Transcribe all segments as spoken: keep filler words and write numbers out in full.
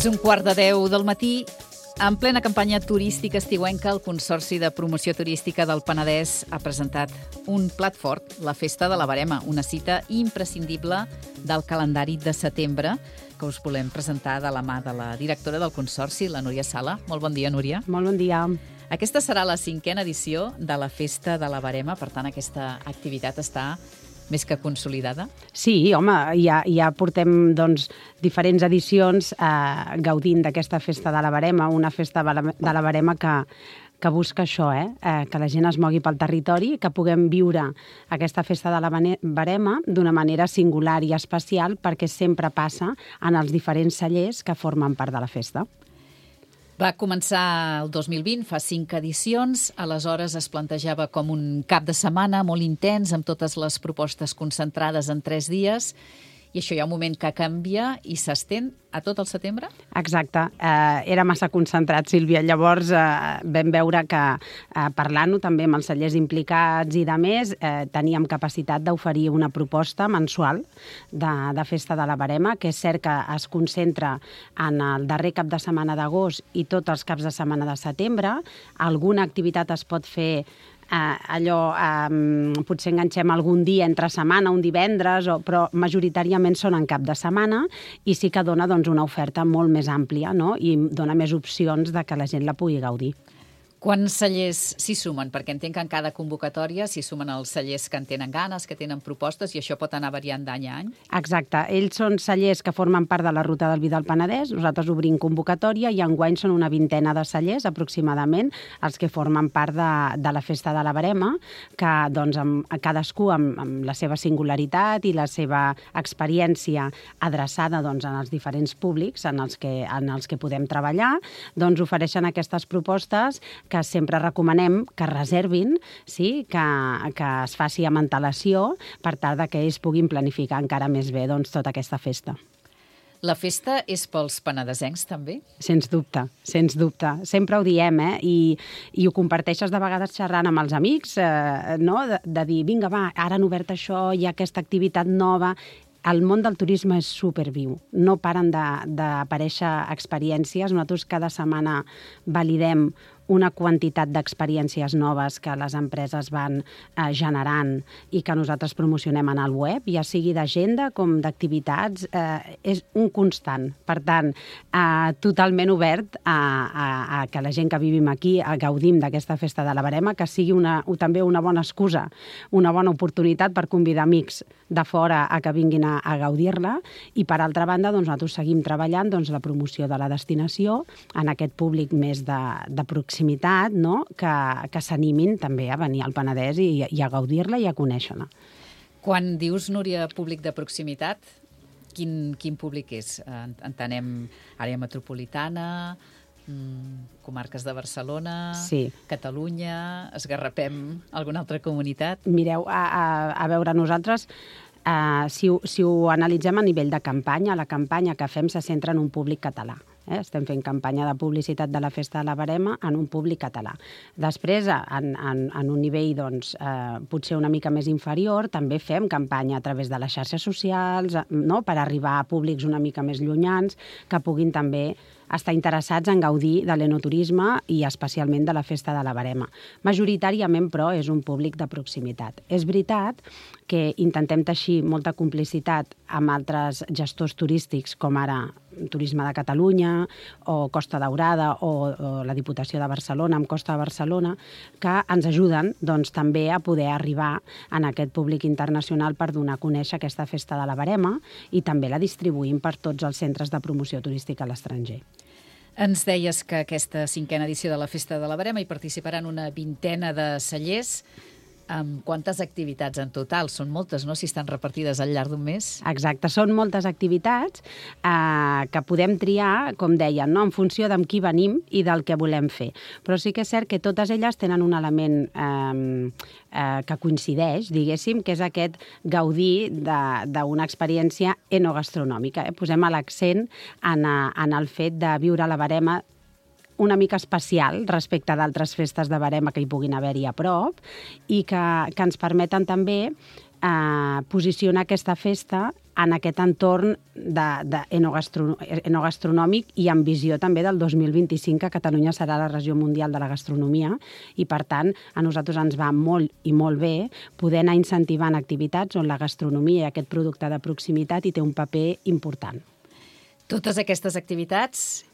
És un quart de deu del matí. En plena campanya turística estiuenca, el Consorci de Promoció Turística del Penedès ha presentat un plat fort, la Festa de la Verema, una cita imprescindible del calendari de setembre, que us volem presentar de la mà de la directora del Consorci, la Núria Sala. Molt bon dia, Núria. Molt bon dia. Aquesta serà la cinquena edició de la Festa de la Verema, per tant, aquesta activitat està més que consolidada? Sí, home, ja, ja portem doncs, diferents edicions eh, gaudint d'aquesta Festa de la Verema, una Festa de la Verema que, que busca això, eh? Eh, que la gent es mogui pel territori, que puguem viure aquesta Festa de la Verema d'una manera singular i especial, perquè sempre passa en els diferents cellers que formen part de la festa. Va començar el dos mil vint, fa cinc edicions, aleshores es plantejava com un cap de setmana molt intens, amb totes les propostes concentrades en tres dies, i això hi ha un moment que canvia i s'estén a tot el setembre? Exacte. Eh, era massa concentrat, Sílvia. Llavors eh, vam veure que eh, parlant-ho també amb els cellers implicats i de més, eh, teníem capacitat d'oferir una proposta mensual de, de Festa de la Verema, que és cert que es concentra en el darrer cap de setmana d'agost i tots els caps de setmana de setembre. Alguna activitat es pot fer Uh, allò, um, potser enganxem algun dia entre setmana, un divendres, o, però majoritàriament són en cap de setmana i sí que dona doncs, una oferta molt més àmplia, no? I dona més opcions de que la gent la pugui gaudir. Quants cellers s'hi sumen? Perquè entenc que en cada convocatòria s'hi sumen els cellers que en tenen ganes, que tenen propostes, i això pot anar variant d'any a any? Exacte. Ells són cellers que formen part de la Ruta del Vi del Penedès. Nosaltres obrim convocatòria i enguany són una vintena de cellers, aproximadament, els que formen part de, de la Festa de la Verema, que doncs, amb, cadascú amb, amb la seva singularitat i la seva experiència adreçada doncs, en els diferents públics en els que, en els que podem treballar, doncs ofereixen aquestes propostes que sempre recomanem que reservin, sí? que, que es faci amb antelació per tal que ells puguin planificar encara més bé doncs, tota aquesta festa. La festa és pels penedesencs, també? Sens dubte, sens dubte. Sempre ho diem, eh? I, i ho comparteixes de vegades xerrant amb els amics, eh, no? de, de dir, vinga, va, ara han obert això, hi ha aquesta activitat nova. El món del turisme és superviu. No paren d'aparèixer experiències. Nosaltres cada setmana validem una quantitat d'experiències noves que les empreses van eh, generant i que nosaltres promocionem en el web, ja sigui d'agenda com d'activitats, eh, és un constant. Per tant, eh, totalment obert a, a, a que la gent que vivim aquí a gaudim d'aquesta Festa de la Verema, que sigui una, també una bona excusa, una bona oportunitat per convidar amics de fora a que vinguin a, a gaudir-la, i per altra banda doncs, nosaltres seguim treballant doncs, la promoció de la destinació en aquest públic més de, de proximitat, no? que, que s'animin també a venir al Penedès i, i a gaudir-la i a conèixer-la. Quan dius, Núria, públic de proximitat, quin, quin públic és? Entenem àrea metropolitana, mmm, comarques de Barcelona, sí. Catalunya, esgarrapem alguna altra comunitat? Mireu, a, a, a veure, nosaltres... Uh, si, ho, si ho analitzem a nivell de campanya, la campanya que fem se centra en un públic català. Eh? Estem fent campanya de publicitat de la Festa de la Verema en un públic català. Després, en, en, en un nivell doncs, eh, potser una mica més inferior, també fem campanya a través de les xarxes socials, no? Per arribar a públics una mica més llunyans, que puguin també estar interessats en gaudir de l'enoturisme i especialment de la Festa de la Verema. Majoritàriament, però, és un públic de proximitat. És veritat que intentem teixir molta complicitat amb altres gestors turístics, com ara Turisme de Catalunya o Costa Daurada o, o la Diputació de Barcelona amb Costa de Barcelona, que ens ajuden doncs, també a poder arribar en aquest públic internacional per donar a conèixer aquesta Festa de la Verema, i també la distribuïm per tots els centres de promoció turística a l'estranger. Ens deies que aquesta cinquena edició de la Festa de la Verema hi participaran una vintena de cellers. Amb quantes activitats en total? Són moltes, no?, si estan repartides al llarg d'un mes. Exacte, són moltes activitats eh, que podem triar, com deien, no?, en funció d'amb qui venim i del que volem fer. Però sí que és cert que totes elles tenen un element eh, eh, que coincideix, diguéssim, que és aquest gaudir d'una experiència enogastronòmica. Eh? Posem l'accent en, en el fet de viure la Verema una mica especial respecte d'altres festes de Verema que hi puguin haver-hi a prop i que, que ens permeten també eh, posicionar aquesta festa en aquest entorn de, de enogastro, enogastronòmic i amb visió també del dos mil vint-i-cinc, que Catalunya serà la regió mundial de la gastronomia, i per tant a nosaltres ens va molt i molt bé poder anar incentivant activitats on la gastronomia i aquest producte de proximitat hi té un paper important. Totes aquestes activitats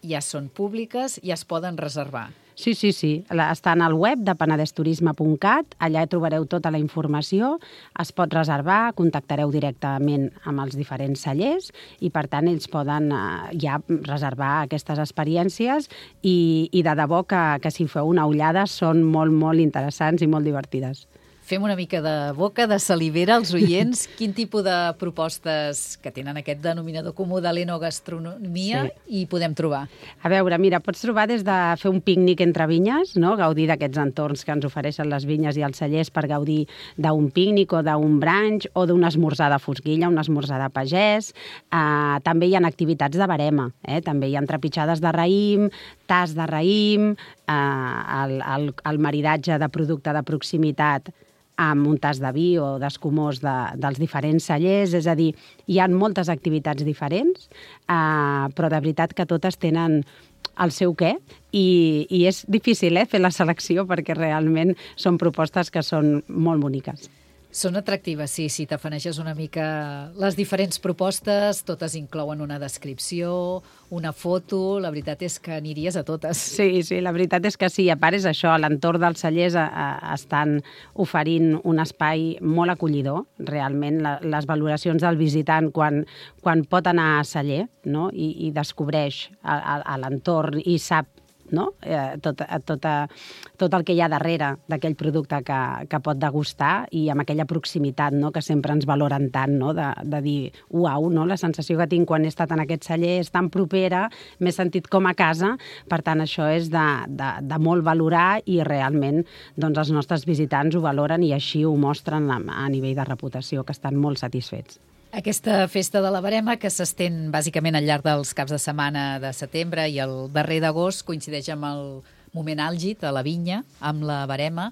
ja són públiques i es poden reservar. Sí, sí, sí. Estan al web de penedès turisme punt cat, allà trobareu tota la informació, es pot reservar, contactareu directament amb els diferents cellers i, per tant, ells poden eh, ja reservar aquestes experiències i, i de debò que, que si feu una ullada són molt, molt interessants i molt divertides. Fem una mica de boca, de salivera als oients. Quin tipus de propostes que tenen aquest denominador comú de l'enogastronomia sí. hi podem trobar? A veure, mira, pots trobar des de fer un pícnic entre vinyes, no? Gaudir d'aquests entorns que ens ofereixen les vinyes i els cellers per gaudir d'un pícnic o d'un brunch o d'un esmorzar de fosquilla, un esmorzar de pagès. Uh, també hi ha activitats de barema, eh? També hi ha trepitjades de raïm, tas de raïm, uh, el, el, el maridatge de producte de proximitat amb un tas de vi o d'escumós de, dels diferents cellers, és a dir, hi ha moltes activitats diferents, eh, però de veritat que totes tenen el seu què, i, i és difícil eh, fer la selecció perquè realment són propostes que són molt boniques. Són atractives, sí, si t'afaneges una mica les diferents propostes, totes inclouen una descripció, una foto, la veritat és que aniries a totes. Sí, sí, la veritat és que sí, a part és això, a l'entorn dels cellers a, a, estan oferint un espai molt acollidor, realment la, les valoracions del visitant quan, quan pot anar a celler, no? I, i descobreix a, a, a l'entorn i sap no? eh, tot, tot, tot el que hi ha darrere d'aquell producte que, que pot degustar i amb aquella proximitat no? Que sempre ens valoren tant, no? de, de dir, uau, no? La sensació que tinc quan he estat en aquest celler és tan propera, m'he sentit com a casa, per tant això és de, de, de molt valorar i realment doncs, els nostres visitants ho valoren i així ho mostren a, a nivell de reputació, que estan molt satisfets. Aquesta festa de la Verema, que s'estén bàsicament al llarg dels caps de setmana de setembre i el darrer d'agost, coincideix amb el moment àlgid a la vinya, amb la Verema.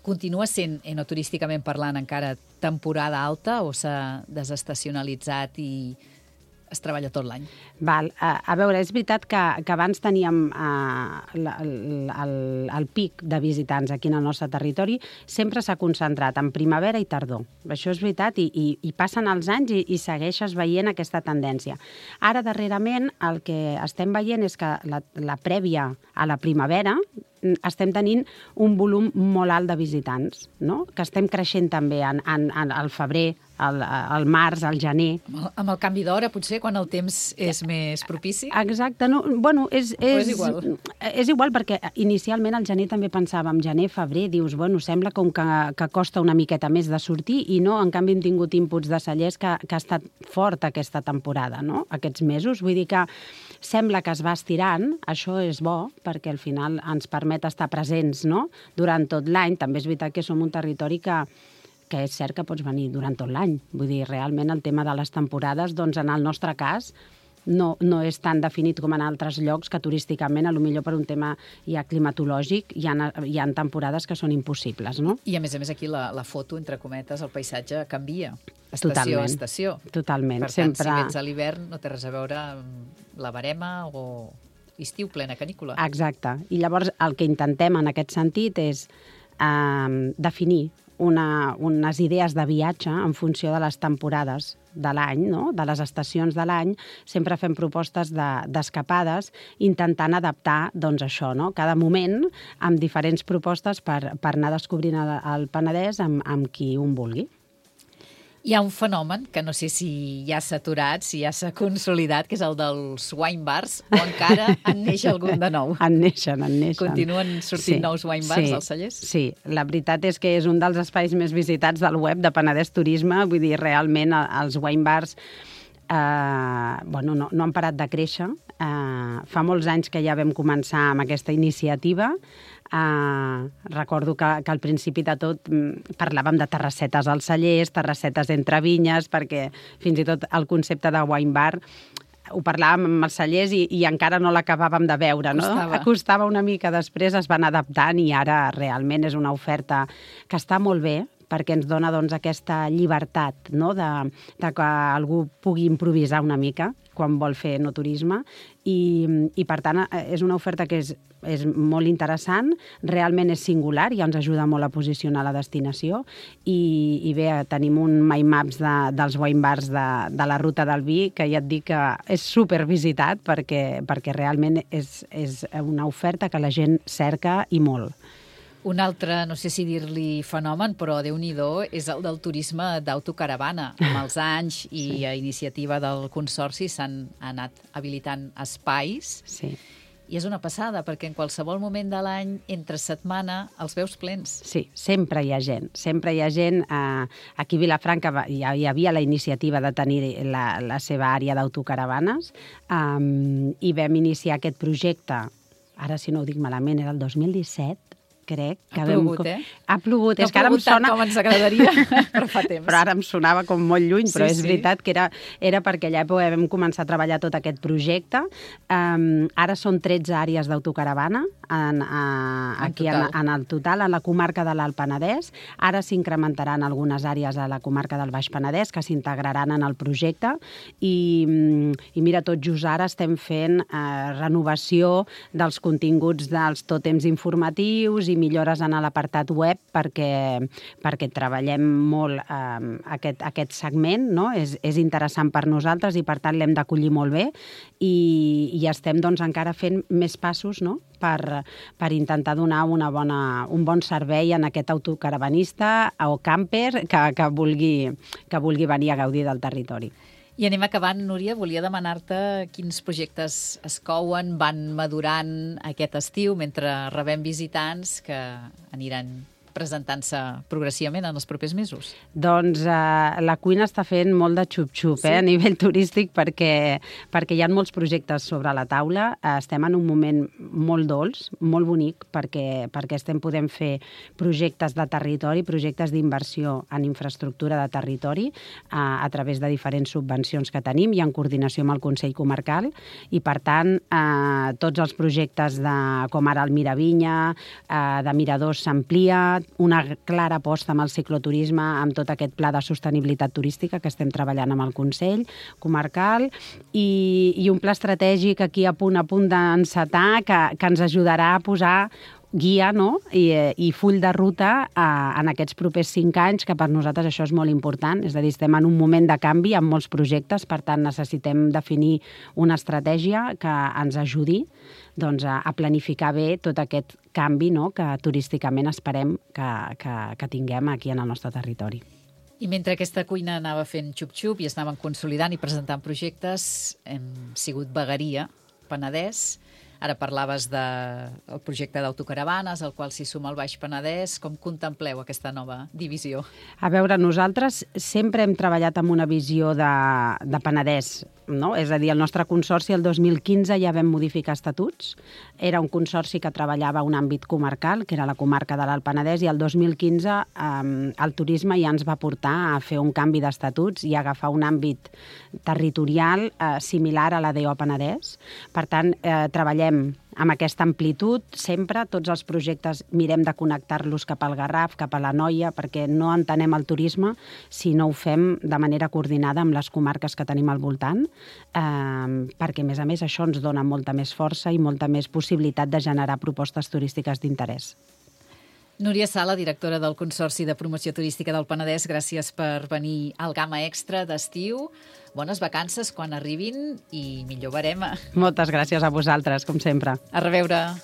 Continua sent, enoturísticament parlant, encara temporada alta o s'ha desestacionalitzat i es treballa tot l'any? Val. A, a veure, és veritat que, que abans teníem uh, el, el, el pic de visitants aquí en el nostre territori, sempre s'ha concentrat en primavera i tardor. Això és veritat i, i, i passen els anys i, i segueixes veient aquesta tendència. Ara, darrerament, el que estem veient és que la, la prèvia a la primavera estem tenint un volum molt alt de visitants, no? Que estem creixent també en, en, en el febrer, al, al març, al gener. Amb el, amb el canvi d'hora, potser, quan el temps és més propici? Exacte. No, bueno, és, és, és igual? És igual, perquè inicialment al gener també pensàvem, gener, febrer, dius, bueno, sembla com que, que costa una miqueta més de sortir, i no, en canvi hem tingut inputs de cellers que, que ha estat fort aquesta temporada, no? Aquests mesos. Vull dir que sembla que es va estirant, això és bo, perquè al final ens permet estar presents, no? Durant tot l'any. També és veritat que som un territori que que és cert que pots venir durant tot l'any. Vull dir, realment el tema de les temporades, doncs en el nostre cas, no, no és tan definit com en altres llocs que turísticament, a lo millor per un tema ja climatològic, hi ha, hi ha temporades que són impossibles, no? I a més a més aquí la, la foto, entre cometes, el paisatge canvia. Estació Totalment. a estació. Totalment. Per tant, sempre... si vens a l'hivern no té res a veure amb la Verema o estiu plena canícula. Exacte. I llavors el que intentem en aquest sentit és eh, definir Una, unes idees de viatge en funció de les temporades de l'any, no? De les estacions de l'any. Sempre fem propostes d'escapades, de, intentant adaptar doncs, això, no? Cada moment amb diferents propostes per, per anar descobrint el, el Penedès amb, amb qui un vulgui. Hi ha un fenomen que no sé si ja s'ha aturat, si ja s'ha consolidat, que és el dels wine bars, o encara en neix algun de nou. En neixen, en neixen. Continuen sortint sí, nous wine bars sí, als cellers? Sí, la veritat és que és un dels espais més visitats del web de Penedès Turisme. Vull dir, realment els wine bars eh, bueno, no, no han parat de créixer. Eh, fa molts anys que ja vam començar amb aquesta iniciativa. Uh, recordo que, que al principi de tot mm, parlàvem de terrassetes als cellers, terrassetes entre vinyes, perquè fins i tot el concepte de wine bar ho parlàvem amb els cellers i, i encara no l'acabàvem de veure, no? Costava. Costava una mica, després es van adaptant i ara realment és una oferta que està molt bé perquè ens dona doncs, aquesta llibertat, no? de, de que algú pugui improvisar una mica quan vol fer no turisme, i, i per tant és una oferta que és, és molt interessant, realment és singular, ja ens ajuda molt a posicionar la destinació, i, i bé, tenim un My Maps de, dels wine bars de, de la Ruta del Vi, que ja et dic que és supervisitat, perquè, perquè realment és, és una oferta que la gent cerca i molt. Un altre, no sé si dir-li fenomen, però Déu-n'hi-do, és el del turisme d'autocaravana. Amb els anys i sí. a iniciativa del Consorci s'han anat habilitant espais. Sí. I és una passada, perquè en qualsevol moment de l'any, entre setmana, els veus plens. Sí, sempre hi ha gent. Sempre hi ha gent. Eh, aquí a Vilafranca ja hi havia la iniciativa de tenir la, la seva àrea d'autocaravanes, um, i vam iniciar aquest projecte, ara si no ho dic malament, era el dos mil disset, crec. Ha plogut, eh? Ha plogut. No és que ara em sona... com ens agradaria, però fa temps. Però ara em sonava com molt lluny, però sí, és sí. veritat que era, era perquè allà vam començar a treballar tot aquest projecte. Um, ara són tretze àrees d'autocaravana en, a, en aquí total. En, en el total, en la comarca de l'Alt Penedès. Ara s'incrementaran algunes àrees a la comarca del Baix Penedès que s'integraran en el projecte, i, i mira, tot just ara estem fent eh, renovació dels continguts dels tòtems informatius i millores en l'apartat web perquè, perquè treballem molt eh, aquest, aquest segment, no? És, és interessant per nosaltres i per tant l'hem d'acollir molt bé, i, i estem doncs, encara fent més passos, no? per, per intentar donar una bona, un bon servei en aquest autocaravanista o camper que, que, vulgui, que vulgui venir a gaudir del territori. I anem acabant, Núria. Volia demanar-te quins projectes es couen, van madurant aquest estiu mentre rebem visitants que aniran presentant-se progressivament en els propers mesos? Doncs eh, la cuina està fent molt de xup-xup sí. eh, a nivell turístic perquè, perquè hi ha molts projectes sobre la taula. Eh, estem en un moment molt dolç, molt bonic, perquè, perquè estem podent fer projectes de territori, projectes d'inversió en infraestructura de territori eh, a través de diferents subvencions que tenim i en coordinació amb el Consell Comarcal, i per tant eh, tots els projectes de, com ara el Miravinya, eh, de Miradors s'amplia, una clara aposta amb el cicloturisme, amb tot aquest pla de sostenibilitat turística que estem treballant amb el Consell Comarcal, i, i un pla estratègic aquí a punt a punt d'encetar que, que ens ajudarà a posar guia, no? I, i full de ruta eh, en aquests propers cinc anys, que per nosaltres això és molt important. És a dir, estem en un moment de canvi amb molts projectes, per tant necessitem definir una estratègia que ens ajudi doncs, a, a planificar bé tot aquest canvi, no? Que turísticament esperem que, que, que tinguem aquí en el nostre territori. I mentre aquesta cuina anava fent xup-xup i es anaven consolidant i presentant projectes, hem sigut vegueria, Penedès. Ara parlaves del projecte d'autocaravanes, al qual s'hi suma el Baix Penedès. Com contempleu aquesta nova divisió? A veure, nosaltres sempre hem treballat amb una visió de, de Penedès, no? És a dir, el nostre consorci el dos mil quinze ja vam modificar estatuts. Era un consorci que treballava un àmbit comarcal, que era la comarca de l'Alt Penedès, i el dos mil quinze eh, el turisme ja ens va portar a fer un canvi d'estatuts i a agafar un àmbit territorial eh, similar a la D O Penedès. Per tant, eh, treballem amb aquesta amplitud, sempre, tots els projectes mirem de connectar-los cap al Garraf, cap a la Noia, perquè no entenem el turisme si no ho fem de manera coordinada amb les comarques que tenim al voltant, eh, perquè, a més a més, això ens dona molta més força i molta més possibilitat de generar propostes turístiques d'interès. Núria Sala, directora del Consorci de Promoció Turística del Penedès, gràcies per venir al Gamma Extra d'estiu. Bones vacances quan arribin i millor barema. Moltes gràcies a vosaltres, com sempre. A reveure.